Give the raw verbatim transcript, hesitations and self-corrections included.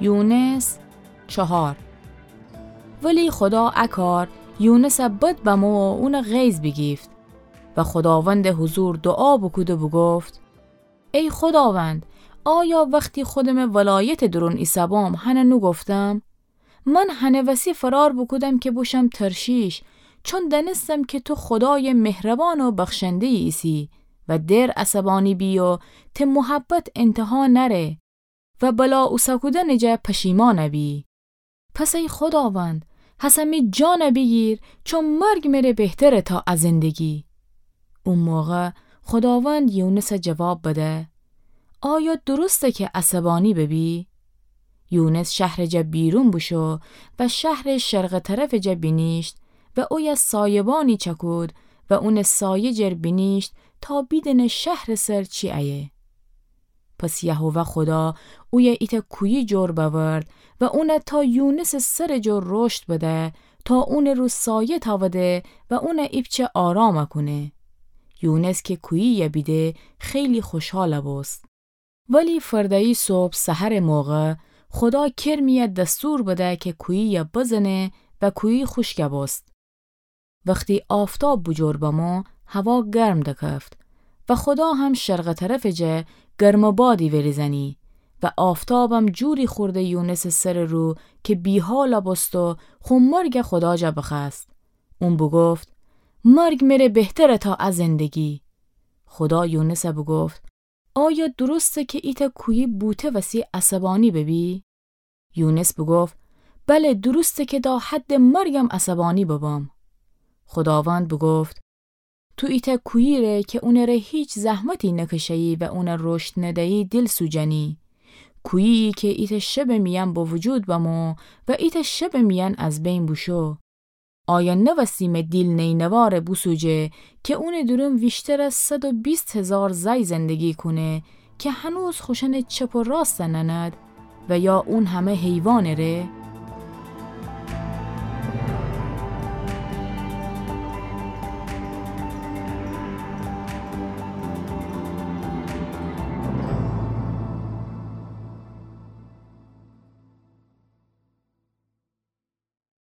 یونس چهار. ولی خودا ا کار یونسَ بد بمو و اونَ غیظ بیگیفت و خوداوندٚ حضور دوعا بوکود و بوگفت: ای خوداوند، آیا وختی خودمٚ ولایتٚ دورون ایسه‌بوم هنه نوگفتم؟ من هنه وسی فرار بوکودم که بوشم ترشیش، چون دأنستم که تو خودایٚ مهربان و بخشنده‌یی ایسی و دئر عصبانی بی و ته محبت انتها نأره و بلا اوسکودنٚ جا پشیمان بی. پس ای خوداوند، هسه می جان بیگیر، چون مرگ مره بهتره تا ا زندگی. او موقع خوداوند یونس جواب بده: آیا درسته که عصبانی ببی؟ یونس شهر جا بیرون بوشو و شهر شرق طرف جا بینیشت و اویه سایبانی چکود و اون سایه جر بینیشت تا بیدینه شهر سر چی ایه. پس یهوه خدا اویه ایتأ کویی جور بأورد و اون تا یونس سر جور رشد بده، تا اون رو سایه تاوده و اون ایپچه آرام کونه. یونس که کویی بیده، خیلی خوشحال بوست. ولی فرده‌یی صبح سحر موقع، خدا کرمی دستور بده که کویی بزنه و کویی خوشک بوست. وختی آفتاب بوجور بمو، هوا گرم دکفت و خدا هم شرق طرف جه گرم بادی وریزنی و آفتابم جوری خورده یونس سر رو که بیحال بوست و خو مرگ خدا جه بخوأست. اون بوگفت: مرگ مره بهتره تا ا زندگی. خدا یونس بوگفت: آیا درسته که ایتأ کویی بوته وسی عصبانی ببی؟ یونس بوگفت: بله، درسته که تا حد مرگم عصبانی ببم. خداوند بوگفت: تو ایتأ کویی ره که اونٚ ره هیچ زحمتی نکشه‌یی و اون رشد نده‌یی دیل سوجنی. کویی‌یی که ایتأ شبٚ میأن به وجود بمو و ایتأ شبٚ میأن از بین بوشو. آیا نوستی مه دیل نینوا ره بوسوجه که اونٚ دورون ویشتر از صد و بیست هزار زای زندگی کونه که هنوز خوشأنٚ چپ و راست نأند و یا اون همه حیوانٚ ره؟